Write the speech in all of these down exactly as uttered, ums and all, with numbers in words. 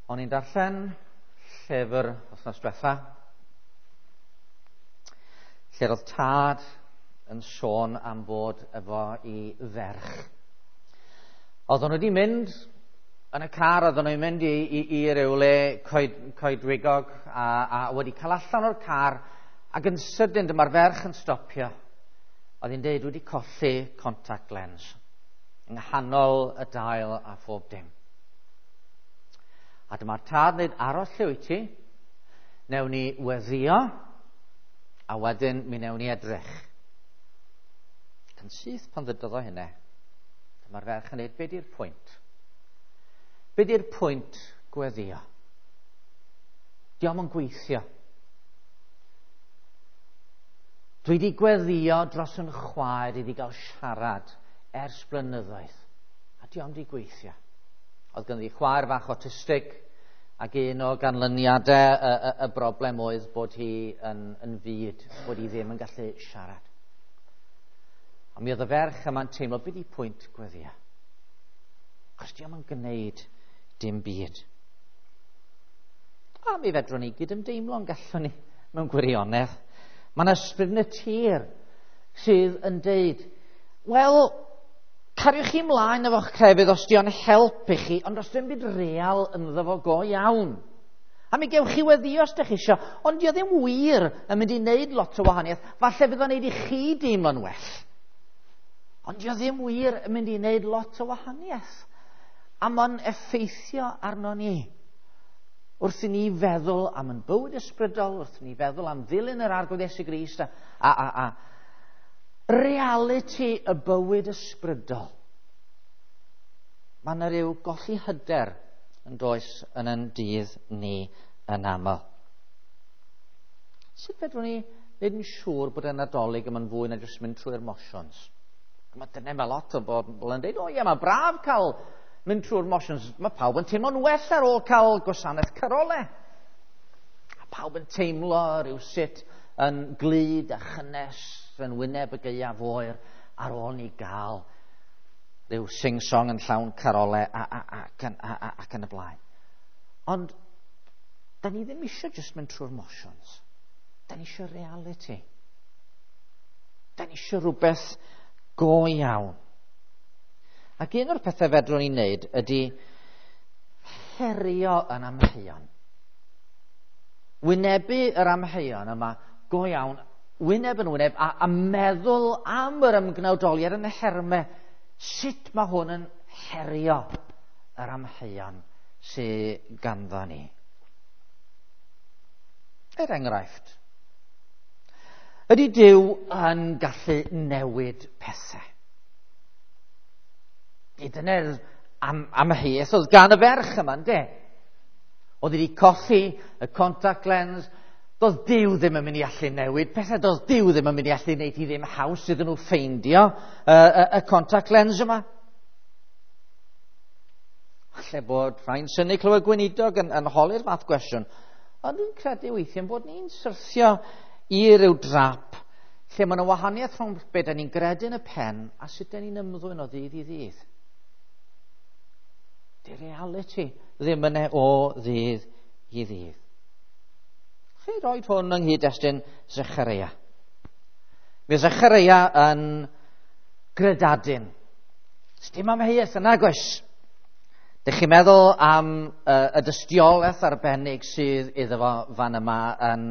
O'n i'n darllen llyfr wythnos diwetha, lle roedd tad yn sôn am fod efo i ferch. Oedden nhw wedi mynd yn y car, oedden nhw'n mynd i, i, i ryw le coed, coedwigog a, a wedi cael allan o'r car, ac yn sydyn dyma'r ferch yn stopio. Oedd hi'n deud wedi colli contact lens yng nghanol y dail a phob dim. A dyma'r tad yn dweud, aros lle wyt ti, newn ni weddio, a wedyn mi newn ni edrych. Ac yn syth pan ddydodd o hynny, dyma'r ferch yn dweud, be di'r pwynt? Be di'r pwynt gweddio? Dio'm yn gweithio. Dwi wedi gweddio dros yn chwaer iddi gael siarad ers blynyddoedd, a dio'm wedi gweithio. Oedd ganddi chwaer fach autistig, ac un o ganlyniadau y, y, y broblem oedd bod hi yn, yn fud, bod hi ddim yn gallu siarad. A mi oedd y ferch yma'n teimlo, be di pwynt gweddio? Achos dio'm yn gwneud dim byd. A mi fedrwn ni gydymdeimlo yn gallwn ni mewn gwirionedd. Mae yna ysbryd natur sydd yn deud, wel, cariwch chi ymlaen efo'ch crefydd os di o'n help i chi, ond os dim byd real ynddo fo go iawn. A mi gewch chi weddio os ydych chi isio, ond di o ddim wir yn mynd i wneud lot o wahaniaeth. Falle fydd o'n neud i chi deimlo'n well. Ond di o ddim wir yn mynd i wneud lot o wahaniaeth. A mae'n effeithio arno ni. Wrth i ni feddwl am yn bywyd ysbrydol, wrth i ni feddwl am ddilyn yr Arglwydd Iesu Grist a, a, a, a reality y bywyd ysbrydol. Mae yna ryw golli hyder yn does yn yn dydd ni yn aml. Sut fedrwn ni wneud yn siŵr bod y Nadolig yma'n fwy na jyst mynd trwy'r motions? Mae dyna mae lot o bobl yn dweud, o ie, mae braf cael mynd trwy'r motions. Mae pawb yn teimlo'n well ar ôl cael gwasanaeth carole. A pawb yn teimlo rhyw sut yn glud a chynnes yn wyneb y gaeaf oer ar ôl ni gael rhyw sing-song yn llawn carole a, a, a, ac, yn, a, a, ac yn y blaen. Ond da ni ddim eisiau jyst mynd trwy'r motions. Da ni eisiau reality. Da ni eisiau rhywbeth go iawn. Ac un o'r pethau fedrwn ni wneud ydy herio yn amheuon. Wynebu yr amheuon yma go iawn, wyneb yn wyneb, a, a meddwl am yr ymgnawdoliad yn y hermau. Sut mae hwn yn herio yr amheuon sydd ganddo ni? Er enghraifft, ydy Duw yn gallu newid pethau? I dyna'r am, amheuaeth oedd gan y ferch yma, ynde? Oedd wedi colli y contact lens. Doedd Duw ddim yn mynd i allu newid pethau. Doedd Duw ddim yn mynd i allu wneud hi ddim haws iddyn nhw ffeindio y, y, y contact lens yma. Falle bod rhai'n synnu clywed gweinidog yn, yn holi'r fath gwestiwn. Ond dwi'n credu weithiau bod ni'n syrthio i ryw drap lle mae yna wahaniaeth rhwng be da ni'n gredu yn y pen a sut da ni'n ymddwyn o ddydd i ddydd. Di reality ddim yna o ddydd i ddydd. Chi roed hwn yng nghyd-destun Zechareia. Mae Zechareia yn gredadun. Dim amheuaeth yna, gwes. Dych chi'n meddwl am uh, y dystiolaeth arbennig sydd iddo fo fan yma yn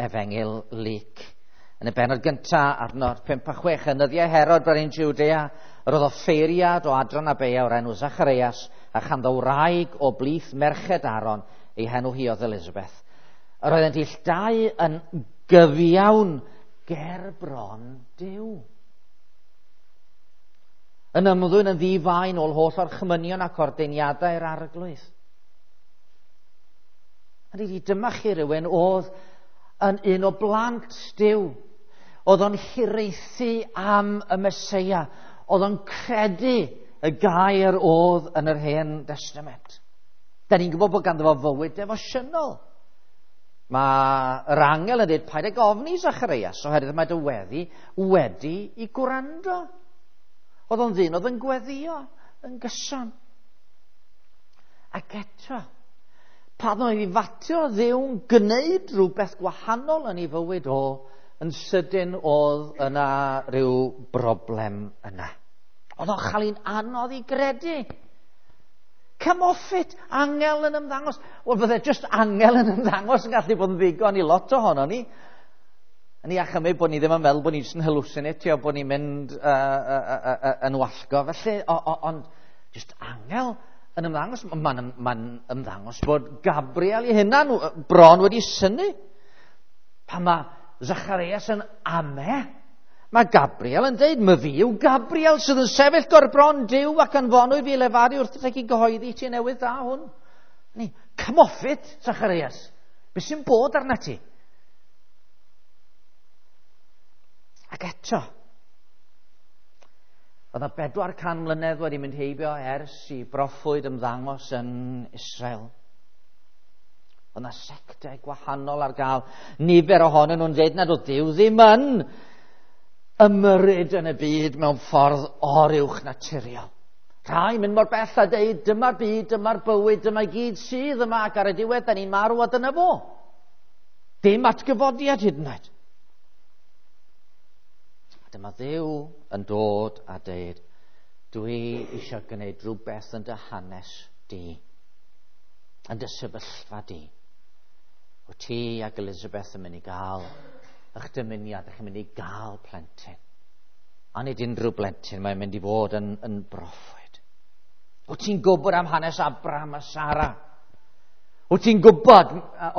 Efengyl Luc. Yn y bennod gyntaf, adnod pump a chwech, yn nyddiau Herod brenin Jwdea, yr oedd offeiriad o adran Abeia o'r enw Zacharias, a chanddo wraig o blith merched Aaron, ei henw hi oedd Elizabeth. Yr oeddent ill dau yn gyfiawn ger bron Duw. Yn ymddwyn yn ddifain ôl holl orchmynion ac ordeiniadau'r Arglwydd. A dyma chi rywun oedd yn un o blant Duw. Oedd o'n hiraethu am y Meseia. Oedd o'n credu y gair oedd yn yr Hen Testament. Da ni'n gwybod bod ganddo fo fywyd defosiynol. Mae yr angel yn dweud, paid ag ofni Zacharias, oherwydd mae dy weddi wedi i gwrando. Oedd o'n ddyn oedd yn gweddio yn gyson. Ac eto, Pan oedd i fatio Dduw'n gwneud rhywbeth gwahanol yn ei fywyd o, yn sydyn oedd yna rhyw broblem yna. Oedd o'n chael hi'n anodd i gredu. Come off it, angel yn ymddangos. Wel, bydde just angel yn ymddangos yn gallu bod yn ddigon i lot ohono ni. Yn i achymryd bod ni ddim yn meddwl bod ni jyst yn hallucinatio, bod ni'n mynd uh, uh, uh, uh, yn wallgo. Felly, ond just angel yn ymddangos, mae'n ma ymddangos bod Gabriel ei hunan bron wedi synnu. Pan mae Zacharias yn ame, mae Gabriel yn deud, "My fi yw Gabriel sydd yn sefyll gor bron Duw ac anfonwyd fi lefaru wrth i gyhoeddi ti newydd dda hwn." Ni, come off it, Zacharias. Be sy'n bod arna ti? Ac eto, oedd yna bedwar can mlynedd wedi mynd heibio ers i broffwyd ymddangos yn Israel. Oedd yna sectau gwahanol ar gael. Nifer ohonyn nhw'n dweud nad oedd Duw ddim yn ymyrryd yn y byd mewn ffordd oruwch naturiol. Rhai mynd mor bell a deud, dyma'r byd, dyma'r bywyd, dyma gyd sydd yma ac ar y diwedd, da ni'n marw a dyna fo. Dim atgyfodiad hyd yn oed. Dyma Dduw yn dod a deud, dwi eisiau gwneud rhywbeth yn dy hanes di, yn dy sefyllfa di. Wyt ti ac Elizabeth yn mynd i gael eich dymuniad, ych chi'n mynd i gael plentyn. A nid unrhyw blentyn, mae'n mynd i fod yn, yn broffwyd. Wyt ti'n gwybod am hanes Abraham a Sara? Wyt ti'n gwybod,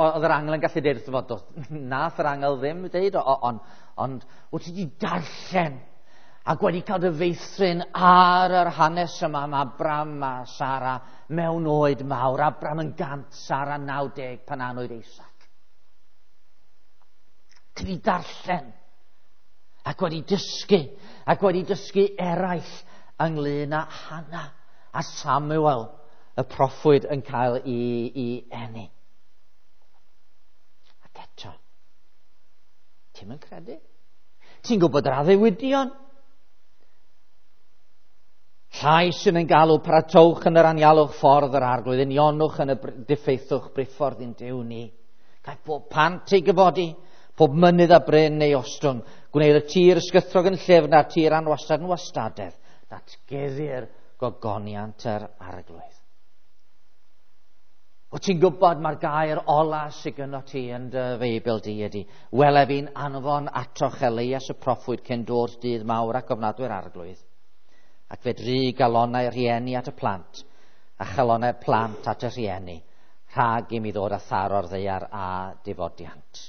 oedd yr angel yn gallu deud wrtho fo, nath yr angel ddim deud, ond ond wyt ti wedi darllen ac wedi cael dy feithrin ar yr hanes yma am Abraham a Sara mewn oed mawr. Abraham yn gant, Sara naw deg pan anwyd Isaac. Ti wedi darllen ac wedi dysgu ac wedi dysgu eraill ynglyn â Hannah a Samuel, y proffwyd yn cael ei, ei eni. Ac eto, ti'n yn credu? Ti'n gwybod yr addewidion? Llais sy'n yn galw, paratowch yn yr anialwch ffordd yr arglwydd, unionwch yn y diffeithwch briffordd i'n Duw ni. Cael pob pant ei gyfodi, pob mynydd a bryn ei ostwng, gwneud y tir ysgythrog yn llyfn a'r tir anwastad yn wastadedd. Datgeddir gogoniant yr arglwydd. Wyt ti'n gwybod mae'r gair ola sydd gynno ti yn dy Feibl di ydy, wele fi'n anfon atoch Elias y proffwyd cyn dod dydd mawr ac ofnadwy'r arglwydd. Ac fe dri galonau rhieni at y plant, a chalonau'r plant at y rhieni, rhag i mi ddod â tharo'r ddaear a difodiant.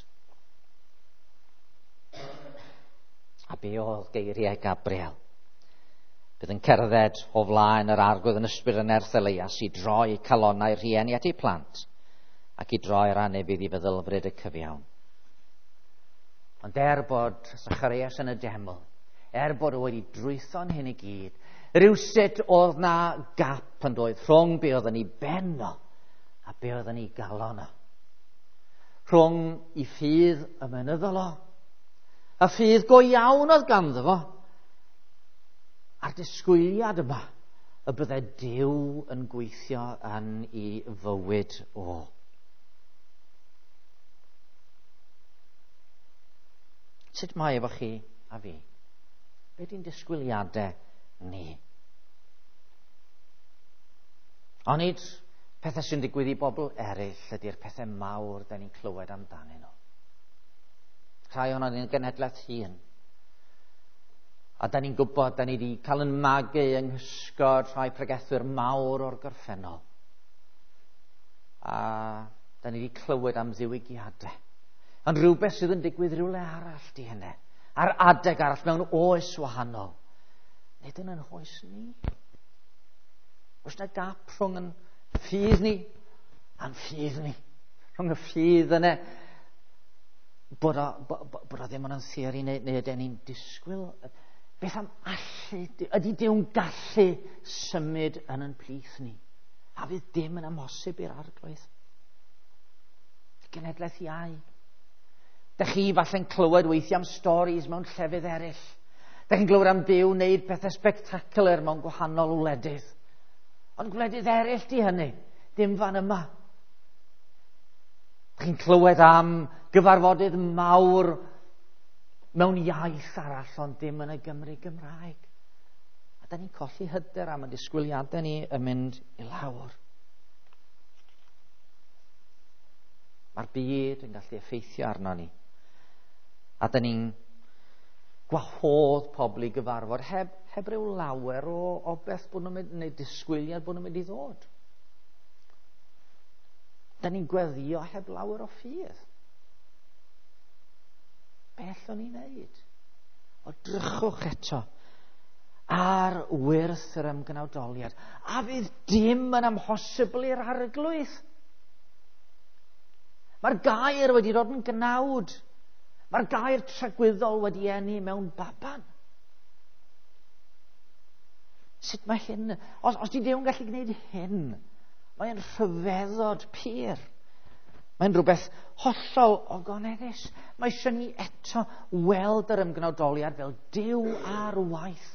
A be oedd geiriau Gabriel? Bydd yn cerdded o flaen yr arglwydd yn ysbryd yn nerth Elias i droi calonnau rhieni at eu plant ac i droi'r anufudd i feddylfryd y cyfiawn. Ond er bod Zacharias yn y deml, er bod o wedi drwytho'n hyn i gyd, rhywsut oedd na gap yn doedd rhwng be oedd yn ei ben o a be oedd yn ei galon o. Rhwng i ffydd ymenyddol o, a ffydd go iawn oedd ganddo fo, a'r disgwyliad yma y bydde Duw yn gweithio yn ei fywyd o. Sut mae efo chi a fi? Be di'n disgwyliadau ni? Onid pethau sy'n digwydd i bobl eraill ydy'r pethau mawr da ni'n clywed amdanyn nhw. Rhai ohonon ni'n genhedlaeth hŷn. A da ni'n gwybod, da ni wedi cael yn magu yng nghysgod rhai pregethwyr mawr o'r gorffennol. A da ni wedi clywed am ddiwygiadau. Ond rhywbeth sydd yn digwydd rhywle arall di hynny. Ar adeg arall mewn oes wahanol. Nid yn yn oes ni. Oes na gap rhwng yn ffydd ni a'n ffydd ni. Rhwng y ffydd yna bod o, bod o ddim yn theori neu, neu ydyn ni'n disgwyl. Beth am allu, ydy Duw'n gallu symud yn yn plith ni? A fydd dim yn amhosib i'r arglwydd. Genhedlaeth iau. Dych chi falle'n clywed weithiau am storis mewn llefydd eraill. Dych chi'n clywed am Duw wneud pethau spectacular mewn gwahanol wledydd. Ond gwledydd eraill di hynny, dim fan yma. Chi'n clywed am gyfarfodydd mawr mewn iaith arall, ond dim yn y Gymru Gymraeg. A da ni'n colli hyder am y disgwyliadau ni yn mynd i lawr. Mae'r byd yn gallu effeithio arno ni. A da ni'n gwahodd pobl i gyfarfod heb, heb ryw lawer o, o beth bod nhw'n mynd, neu disgwyliad bod nhw'n mynd i ddod. Da ni'n gweddio heb lawer o ffydd. Be allwn ni wneud? O drychwch eto ar wyrth yr ymgnawdoliad. A fydd dim yn amhosibl i'r arglwydd. Mae'r gair wedi dod yn gnawd. Mae'r gair tragwyddol wedi eni mewn baban. Sut mae hyn? Os, os di Duw yn gallu gwneud hyn, mae'n rhyfeddod pur. Mae'n rhywbeth hollol ogoneddus. Mae eisiau ni eto weld yr ymgnawdoliad fel Duw ar waith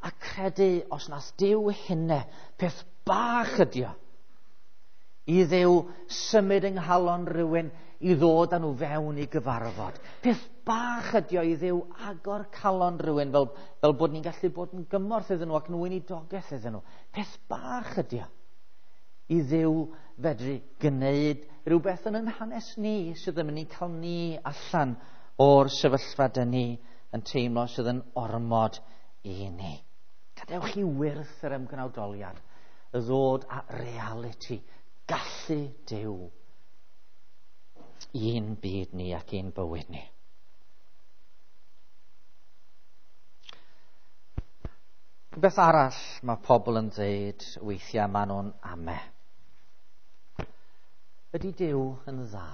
a credu os nas Duw hynne, peth bach ydi o, i Dduw symud yng nghalon rhywun i ddod â nhw fewn i gyfarfod. Peth bach ydi o i Dduw agor calon rhywun fel, fel bod ni'n gallu bod yn gymorth iddyn nhw ac yn weinidogaeth iddyn nhw. Peth bach ydi o i Dduw fedru gwneud rhywbeth yn ein hanes ni sydd yn mynd i cael ni allan o'r sefyllfa dyn ni yn teimlo sydd yn ormod i ni. Gadewch i wyrth yr ymgnawdoliad y ddod â reality, gallu Duw i'n byd ni ac i'n bywyd ni. Rhywbeth arall mae pobl yn dweud weithiau maen nhw'n ame. Ydy Duw yn dda?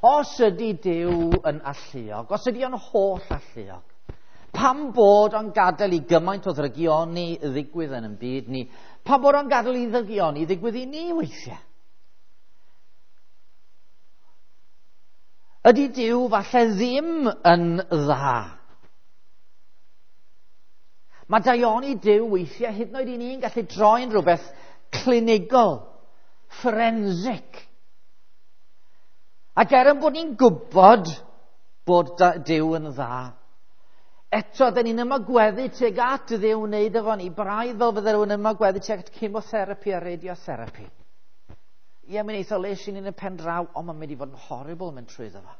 Os ydy Duw yn alluog, os ydy o'n holl alluog, pam bod o'n gadael i gymaint o ddrygioni ddigwydd yn ein byd ni? Pam bod o'n gadael i ddrygioni ddigwydd i ni weithiau? Ydy Duw falle ddim yn dda? Mae daioni Duw weithiau hyd yn oed i ni'n gallu troi'n rhywbeth clinigol, forensic. Ac er yn bod ni'n gwybod bod Duw yn dda, eto, dyn ni'n ymagweddu tuag at Dduw wneud efo ni, braidd fel fydde rhywun ymagweddu tuag at chemotherapy a radiotherapy. Ie, mae'n eitha les i ni'n y pen draw, ond mae'n mynd i fod yn horrible mynd trwyddo fo.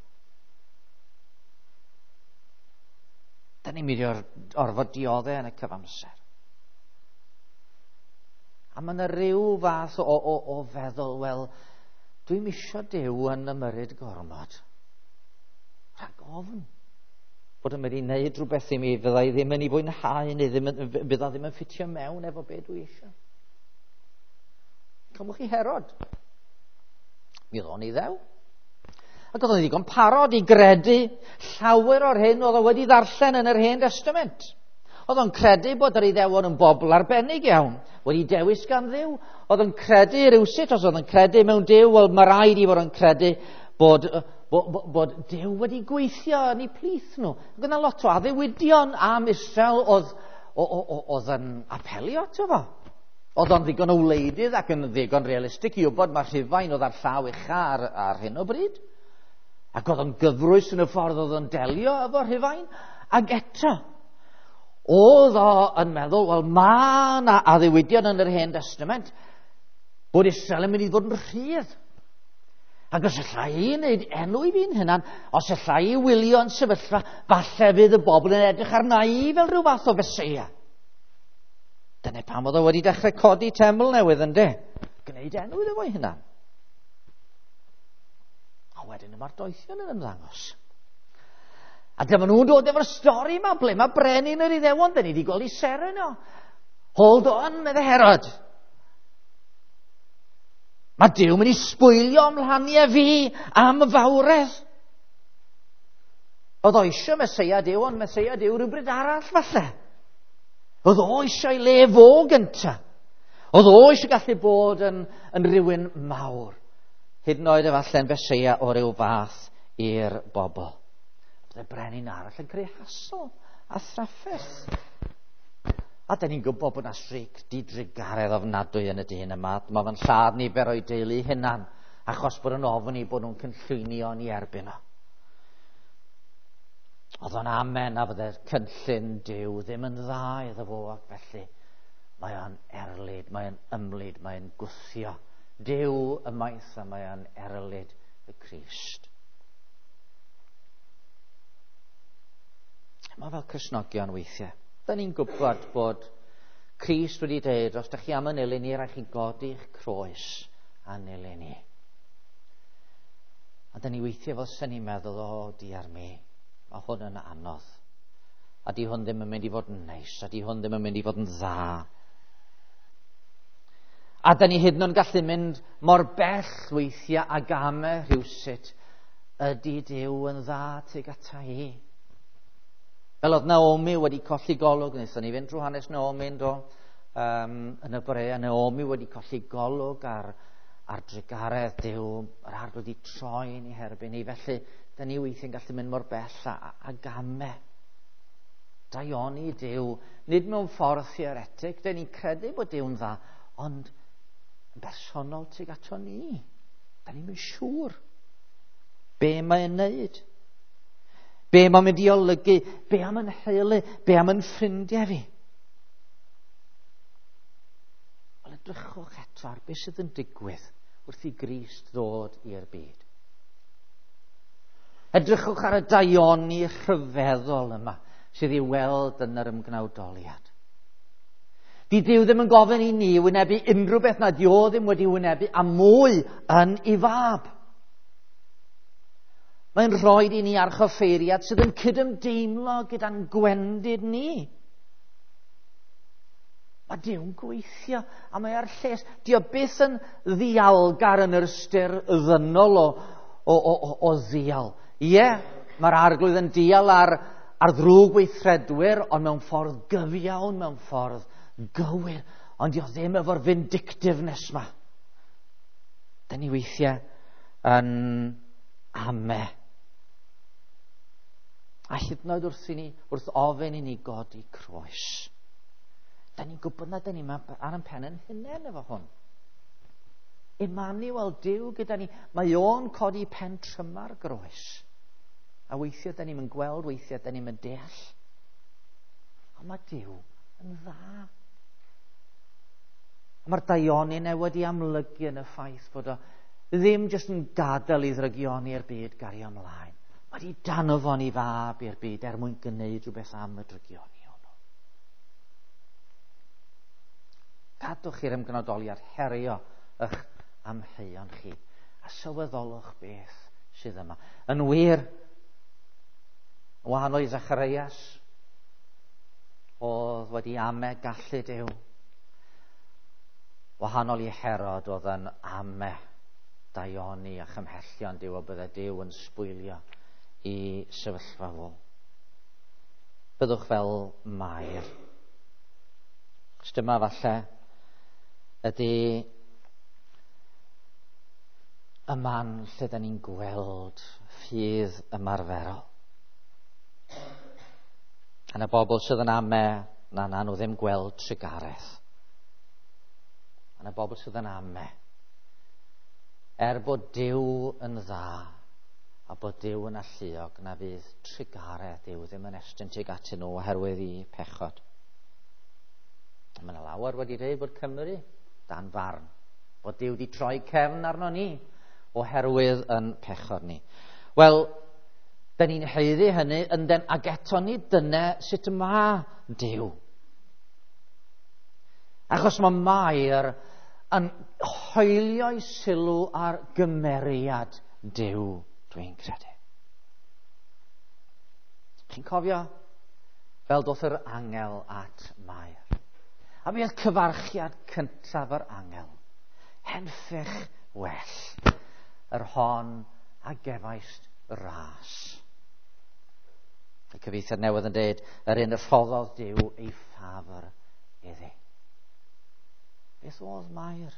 Dyn ni'n mynd i orfod dioddau yn y cyfamser. A mae yna ryw fath o, o, o feddwl, wel, dwi'm isio Duw yn ymyrryd gormod. Rhag ofn bod yn mynd i wneud rhywbeth i mi fydda i ddim yn ei fwynhau neu ddim yn, fydda ddim yn ffitio mewn efo be dwi eisiau. Cymwch chi Herod. Mi oedd o'n Iddew. Ac oedd o'n ddigon parod i gredu llawer o'r hyn oedd o wedi ddarllen yn yr Hen Testament. Oedd o'n credu bod yr Iddewon yn bobl arbennig iawn, wedi dewis gan Dduw. Oedd o'n credu rywsut, os oedd o'n credu mewn Duw, wel mae rhaid i fod yn credu bod, bod, bod, bod Duw wedi gweithio yn eu plith nhw. Ac oedd yna lot o addewidion am Israel oedd, oedd yn apelio ato fo. Oedd o'n ddigon o wleidydd ac yn ddigon realistig i wybod mae Rhufain oedd ar llaw ucha ar, ar hyn o bryd. Ac oedd o'n gyfrwys yn y ffordd oedd o'n delio efo Rhufain. Ac eto, oedd o yn meddwl, wel, mae yna addewidion yn yr Hen Testament bod Israel yn mynd i fod yn rhydd. Ac os alla i wneud enw i fi'n hunan, os alla i wylio yn sefyllfa, falle fydd y bobl yn edrych arna i fel rhyw fath o Feseia. Dyna pam oedd o wedi dechrau codi teml newydd, yndê? Gwneud enw iddo fo'i hunan. A wedyn mae'r doethion yn ymddangos. A dyma nhw'n dod efo'r stori yma, ble mae brenin yr Iddewon, dyn ni wedi gweld i seren o. Hold on, medde Herod. Mae Duw mynd i sbwylio ymlaniau fi am y fawredd. Oedd o eisiau Meseia Duw, ond Meseia Duw rhywbryd arall falle. Oedd o eisiau le fo gynta. Oedd o eisiau gallu bod yn, yn rhywun mawr. Hyd yn oed efallai'n Feseia o ryw fath i'r bobl. Byddai brenin arall yn creu hasl a thrafferth. A dyn ni'n gwybod bod yna streic didrugaredd ofnadwy yn y dyn yma. Mae fe'n lladd nifer o'i deulu hunan achos bod yn ofni bod nhw'n cynllwynio yn ei erbyn o. Oedd o'n amen a fydde'r cynllun Duw ddim yn dda iddo fo, ac felly mae o'n erlid, mae o'n ymlid, mae o'n gwthio Duw ymaith a mae o'n erlid y Crist. Mae fel Cristnogion weithiau. Da ni'n gwybod bod Crist wedi dweud, os da chi am yn ilyn ni, rhaid chi godi'ch croes a'n ilyn ni. A da ni weithiau fel sy'n ni'n meddwl, o, diar mi, mae hwn yn anodd. A di hwn ddim yn mynd i fod yn neis, a di hwn ddim yn mynd i fod yn dda. A da ni hyd yn oed yn gallu mynd mor bell weithiau a gamau rhywsut, ydy Duw yn dda tuag ata i? Fel oedd Naomi wedi colli golwg, wnaethon ni fynd drwy hanes Naomi yn do, um, yn y bore, a Naomi wedi colli golwg ar, ar drugaredd Duw, yr arglwydd wedi troi yn ei herbyn ni, felly da ni weithiau'n gallu mynd mor bell a, a gamau. Daioni Duw, nid mewn ffordd theoretig, da ni'n credu bod Duw'n dda, ond yn bersonol tuag ato ni. Da ni'n mynd siŵr be mae'n neud. Be mae'n mynd i olygu, be am yn heulu, be am yn ffrindiau fi. Wel, edrychwch eto ar beth sydd yn digwydd wrth i Grist ddod i'r byd. Edrychwch ar y daioni rhyfeddol yma sydd i'w weld yn yr ymgnawdoliad. Di Duw ddim yn gofyn i ni wynebu unrhyw beth na di o ddim wedi wynebu a mwy yn ei fab. Mae'n rhaid i ni archoffeiriad sydd yn cydymdeimlo gyda'n gwendid ni. Mae Duw'n gweithio a mae ar lles. Di o byth yn ddialgar yn yr ystyr ddynol o, o, o, o, o ddial. Ie, mae'r arglwydd yn dial ar, ar ddrwg weithredwyr, ond mewn ffordd gyfiawn, mewn ffordd gywir. Ond di o ddim efo'r vindictiveness ma. Da ni weithiau yn ame. A hyd yn oed wrth i ni, wrth ofyn i ni godi croes. Da ni'n gwybod na da ni ar ein pen yn hunain efo hwn. Emmanuel, Duw gyda ni, mae o'n codi pen tryma'r groes. A weithiau da ni'n gweld, weithiau da ni'n deall. Ond mae Duw yn dda. A mae'r daioni yna wedi amlygu yn y ffaith bod o ddim jyst yn gadael i ddrygioni i'r byd gario ymlaen. Mae wedi danfon i fab i'r byd er mwyn gwneud rhywbeth am y drygioni hwnnw. Cadwch i'r ymgnodoliad herio eich amheuon chi a sylweddolwch beth sydd yma. Yn wir, yn wahanol i Zacharias, oedd wedi ame gallu Duw. Wahanol i Herod oedd yn ame daioni a chymhellion Duw, a bydde Duw yn sbwylio i sefyllfa fo. Byddwch fel Mair. Os dyma falle ydy y man lle da ni'n gweld ffydd ymarferol. A na bobl sydd yn ame, na na nhw ddim gweld trugaredd. A na bobl sydd yn ame, er bod Duw yn dda a bod Duw yn alluog, na fydd trugaredd Duw ddim yn estyn tuag atyn nhw oherwydd i pechod. Mae yna lawer wedi dweud bod Cymru dan farn, bod Duw wedi troi cefn arno ni oherwydd yn pechod ni. Wel, da ni'n haeddu hynny, ynden, ac eto ni dyna sut mae Duw. Achos mae Mair yn hoelio'i sylw ar gymeriad Duw, dwi'n credu. Chi'n cofio? Fel doth yr angel at Mair. A mi oedd cyfarchiad cyntaf yr angel. Henffych well, yr hon a gefaist ras. Y cyfieithiad newydd yn dweud, yr un y rhoddodd Duw ei ffafr iddi. Beth oedd Mair?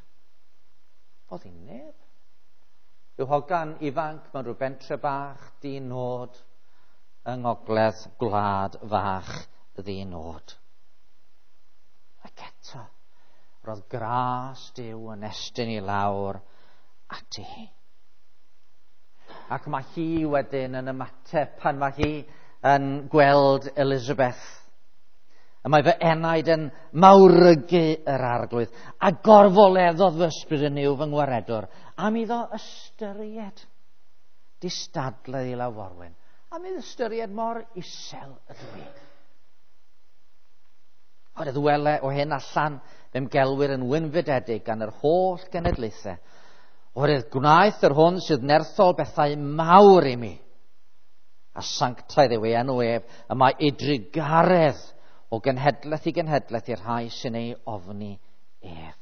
Oedd hi'n neb. Rhyw hogan ifanc mewn rhyw bentre bach di-nod yng ngogledd gwlad fach ddi-nod. Ac eto, roedd gras Duw yn estyn i lawr ati hi. Ac mae hi wedyn yn ymateb pan mae hi yn gweld Elizabeth. Y mae fy enaid yn mawrygu yr Arglwydd, a gorfoleddodd fy ysbryd yn yw fy ngwaredwr, am iddo ystyried distadledd i law forwyn, am iddo ystyried mor isel ydw i. Oherwydd wele o hyn allan fe'm gelwir yn wynfydedig gan yr holl genedlaethau. Oherwydd gwnaeth yr hwn sydd nerthol bethau mawr i mi. A sanctaidd yw ei enw ef, y mae ei drugaredd o genhedlaeth i genhedlaeth i'r rhai sy'n ei ofni ef.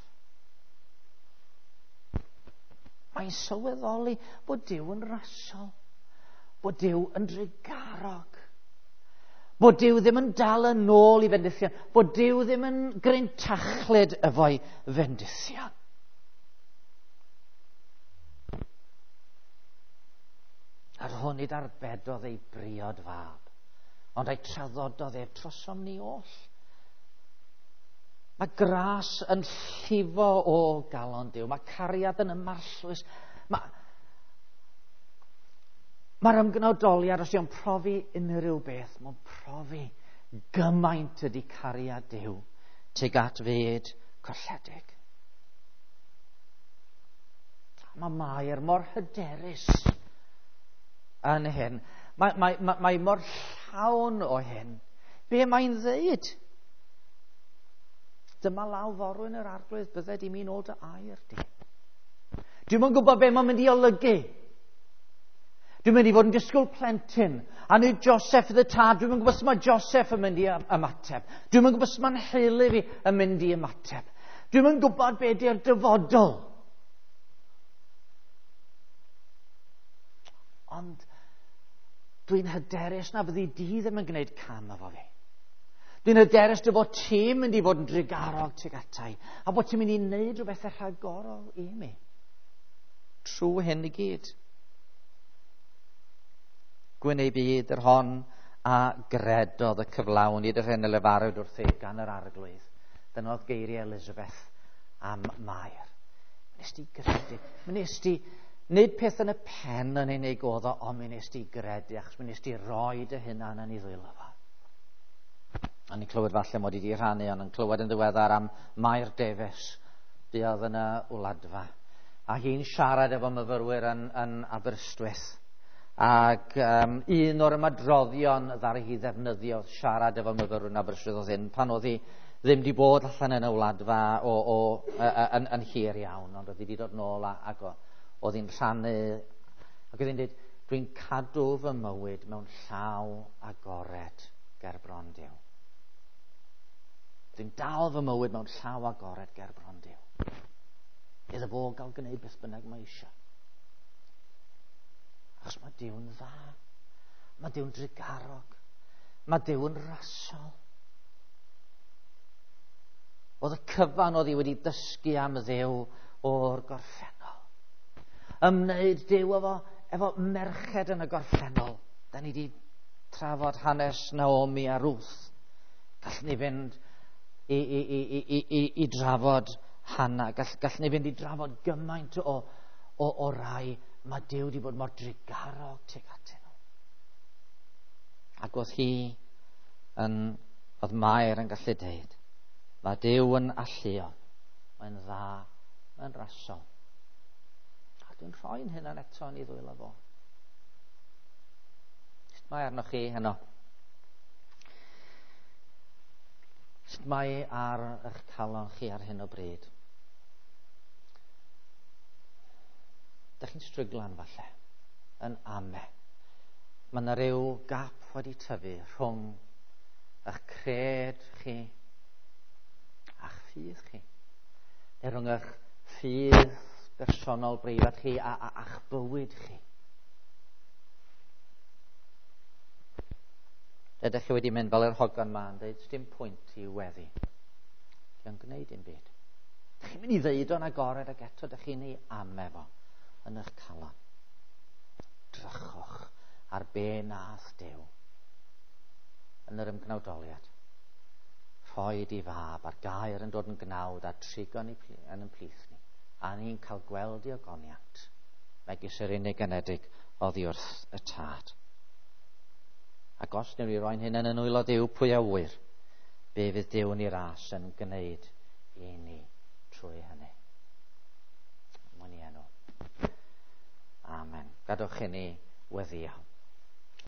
Mae'n sylweddoli bod Duw yn rasol, bod Duw yn drugarog, bod Duw ddim yn dal yn ôl i fendithion, bod Duw ddim yn grintachlyd efo'i fendithion. A'r hwn nid arbedodd ei briod fab, ond ei traddododd ef trosom ni oll. Mae gras yn llifo o galon Duw. Mae cariad yn ymarllwys. Mae, Mae'r ymgnawdoliad, os yw'n profi unrhyw beth, mae'n profi gymaint ydy cariad Duw tuag at fyd colledig. Mae Mair mor hyderus yn hyn. Mae, mae, mae, mae mor llawn o hyn. Be mae'n ddeud? Dyma law forwyn yr Arglwydd, bydded i mi nôl dy air di. Dwi'm yn gwybod be mae'n mynd i olygu. Dwi'n mynd i fod yn disgwyl plentyn. A nid Joseph y tad. Dwi'm yn gwybod sut mae Joseph yn mynd i ymateb. Dwi'm yn gwybod sut mae'n nheulu fi yn mynd i ymateb. Dwi'm yn gwybod be di'r dyfodol. Ond dwi'n hyderus na fyddi di ddim yn gwneud cam efo fi. Dwi'n hyderus dy fod ti'n mynd i fod yn drugarog tuag ata i, a bod ti'n mynd i wneud rhywbeth rhagorol i mi. Trwy hyn i gyd. Gwyn ei byd yr hon a gredodd y cyflawn i'r hyn y lefarwyd wrthi gan yr Arglwydd. Dyna oedd geiriau Elizabeth am Mair. Nes di gredu. Nes di, nid peth yn y pen yn unig oedd o, ond mi nes di gredu, achos mi nes di roi dy hunan yn ei ddwylo fo. A ni'n clywed falle mod i wedi rhannu, ond yn clywed yn ddiweddar am Mair Davies, buodd yn y Wladfa. A hi'n siarad efo myfyrwyr yn, yn Aberystwyth. Ac um, un o'r ymadroddion ddaru hi ddefnyddio siarad efo myfyrwyr yn Aberystwyth oedd hyn, pan oedd hi ddim wedi bod allan yn y Wladfa o, o, yn, yn hir iawn, ond oedd hi wedi dod nôl a, ac oedd hi'n rhannu, ac oedd hi'n dweud, dwi'n cadw fy mywyd mewn llaw agored ger bron Duw. Dwi'n dal fy mywyd mewn llaw agored ger bron Duw. Iddo fo gael gwneud beth bynnag mae eisiau. Achos mae Duw'n dda. Mae Duw'n drugarog. Mae Duw'n rasol. Oedd y cyfan oedd hi wedi dysgu am Dduw o'r gorffennol. Ymwneud Duw efo, efo merched yn y gorffennol. Da ni wedi trafod hanes Naomi a Ruth. Gallwn ni fynd i, i, i, i, i, i drafod Hannah. Gall, gallwn ni fynd i drafod gymaint o, o, o rai. Mae Duw wedi bod mor drugarog tuag atyn nhw. Ac oedd hi yn, oedd Mair yn gallu deud, mae Duw yn alluog, mae'n dda, mae'n rasol. A dwi'n rhoi'n hunan eto yn ei ddwylo fo. Sut mae arnoch chi heno? Sut mae ar eich calon chi ar hyn o bryd? Dych chi'n stryglan falle, yn ame. Mae yna ryw gap wedi tyfu rhwng eich cred chi a'ch ffydd chi. Neu rhwng eich ffydd bersonol breifat chi a, a, a'ch bywyd chi. Ydych chi wedi mynd fel yr hogan ma yn dweud, dim pwynt i weddi. Dio'n gwneud dim byd. Dych chi'n mynd i ddeud o'n agored ac eto dych chi'n ei ame fo yn eich calon. Drychwch ar be nath Duw yn yr ymgnawdoliad. Rhoed i fab a'r gair yn dod yn gnawd a trigo yn ein plith ni. A ni'n cael gweld i ogoniant. Megis yr unig anedig oddi wrth y Tad. Ac os wnewn ni roi'n hyn yn nwylo Duw, pwy a ŵyr, be fydd Duw yn ei ras yn gwneud i ni trwy hynny. Mwyn ei enw. Amen. Gadwch i ni weddïo.